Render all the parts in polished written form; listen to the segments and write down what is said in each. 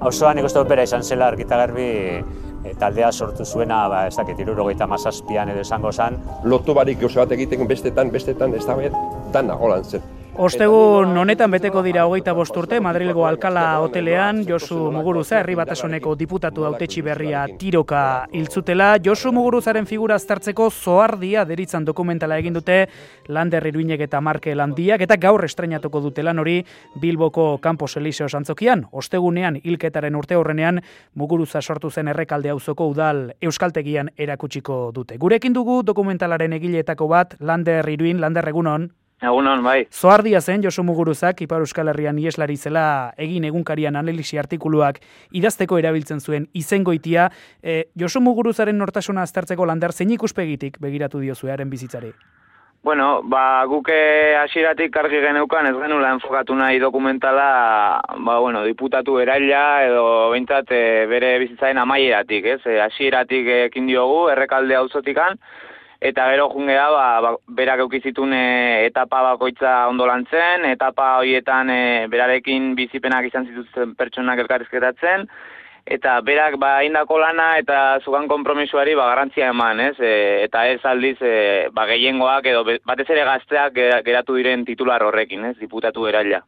Osoan nik uste bera izan zela argita garbi taldea sortu zuena, ez dakit, 77an edo esango zan. Loto barik oso bat egiten bestetan, ez da dana holan zen. Ostegun honetan beteko dira 25 urte Madrilgo Alkala hotelean Josu Muguruza herri batasuneko diputatu hautetsi berria tiroka hiltzutela. Josu Muguruzaren figura aztertzeko Zoardia deritzan dokumentala egin dute Lander Iruinek eta Marke Landiak eta gaur estreinatuko dute lan hori Bilboko Campos Elíseos antzokian. Ostegunean hilketaren urteurrenean Muguruza sortu zen Errekalde auzoko udal euskaltegian erakutsiko dute. Gurekin dugu dokumentalaren egileetako bat Lander Iruin, Lander egunon. Egunon, bai. Zoardia zen Josu Muguruzak Ipar Euskal Herrian ieslari zela egin egunkarian analisi artikuluak idazteko erabiltzen zuen izengoitia. Josu Muguruzaren nortasuna aztertzeko Lander zein ikuspegitik begiratu diozue haren bizitzari? Bueno, guke hasieratik argi geneukan ez genula enfokatu nahi dokumentala, diputatu eraila edo behintzat bere bizitzaren amaieratik, ez? Hasieratik ekin diogu Errekalde auzotikan. Eta gero junge da, berak eukizitun etapa bakoitza ondo lantzen, etapa horietan berarekin bizipenak izan zituzten pertsonak elkarrizketatzen, eta berak indako lana eta zugan konpromisoari garrantzia eman, ez? Eta ez aldiz gehiengoak edo batez ere gazteak geratu diren titular horrekin, ez? Diputatu eraila.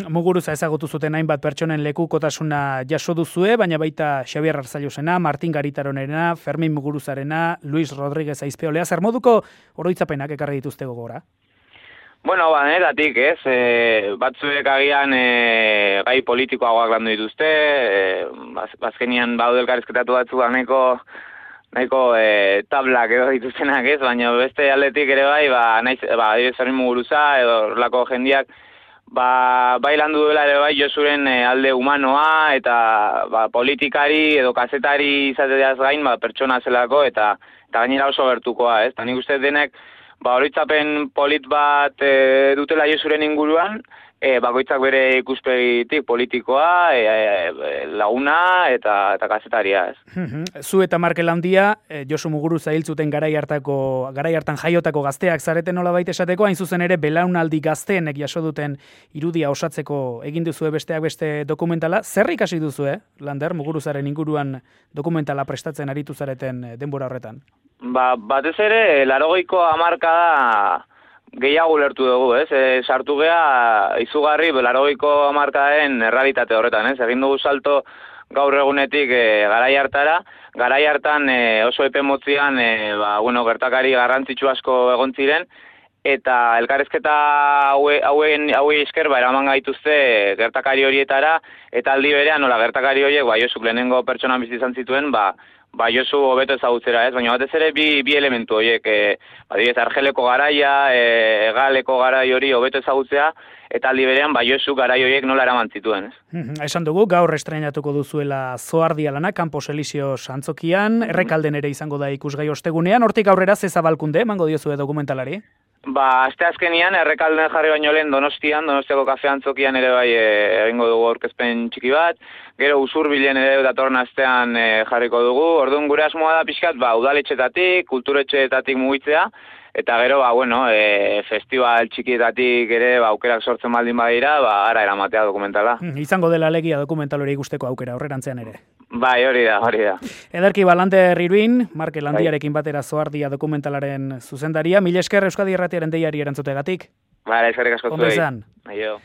Muguruza ezagutu zuten hainbat pertsonen lekukotasuna jaso duzue, baina baita Xabier Arzalluzena, Martin Garitaronerena, Fermin Muguruzarena, Luis Rodríguez Aizpeolea, zer moduko oroitzapenak ekarri dituzte gogora? Bueno, netatik, ez, batzuek agian gai politikoagoak landu dituzte, bazkenian baude elkarrizketatu batzuk nahiko tablak edo dituztenak, ez, baina beste aldetik ere Fermin Muguruza edo horrelako jendiak, bai landu duela ere Josuren alde humanoa eta politikari edo kazetari izateaz gain pertsona zelako eta gainera oso gertukoa, ez, eta nik uste denek oroitzapen polit bat dutela Josuren inguruan, bakoitzak bere ikuspegitik politikoa, laguna eta kazetaria, ez. Zu eta Marke Landia, Josu Muguruza hiltzuten garai hartan jaiotako gazteak zareten nolabait esateko, hain zuzen ere belaunaldi gazteenek jaso duten irudia osatzeko egin duzue besteak beste dokumentala. Zer ikasi duzue, Lander, Muguruzaren inguruan dokumentala prestatzen aritu zareten denbora horretan? Batez ere, 80ko hamarkada gehiago ulertu dugu, ez? Sartu gea izugarri 80ko hamarkadaen errealitate horretan, ez? Egin dugu salto gaur egunetik garai hartara, garai hartan oso epe motzian gertakari garrantzitsu asko egon ziren, eta elkarrizketa hauei esker eraman gaituzte gertakari horietara, eta aldi berean nola gertakari horiek Josuk lehenengo pertsonan bizi izan zituen, Josu hobeto ezagutzera, ez? Baina batez ere bi elementu horiek, Argeleko garaia, Egaleko garai hori hobeto ezagutzea, eta aldi berean Josu garai horiek nola eraman zituen, ez? Esan dugu, gaur estreinatuko duzuela Zoardia lana, Campos Elíseos antzokian, Errekalden ere izango da ikusgai ostegunean, hortik aurrera ze zabalkunde, emango diozue dokumentalari? Asteazkenian Errekalden jarri baino lehen Donostiako kafe antzokian ere egingo dugu aurkezpen txiki bat, gero Usurbilen ere datorren astean jarriko dugu, orduan gure asmoa da pixkat, udaletxetatik, kulturetxeetatik mugitzea, eta gero, festival txikietatik ere aukerak sortzen baldin badira, ara eramatea dokumentala. Izango dela alegia dokumental hori ikusteko aukera, horrerantzean ere. Bai, hori da. Ederki Lander Iruin, Marke Landiarekin batera Zoardia dokumentalaren zuzendaria. Mila esker Euskadi Irratiaren deiari erantzutegatik. Eskerrik asko zuei. Ondo izan. Aio.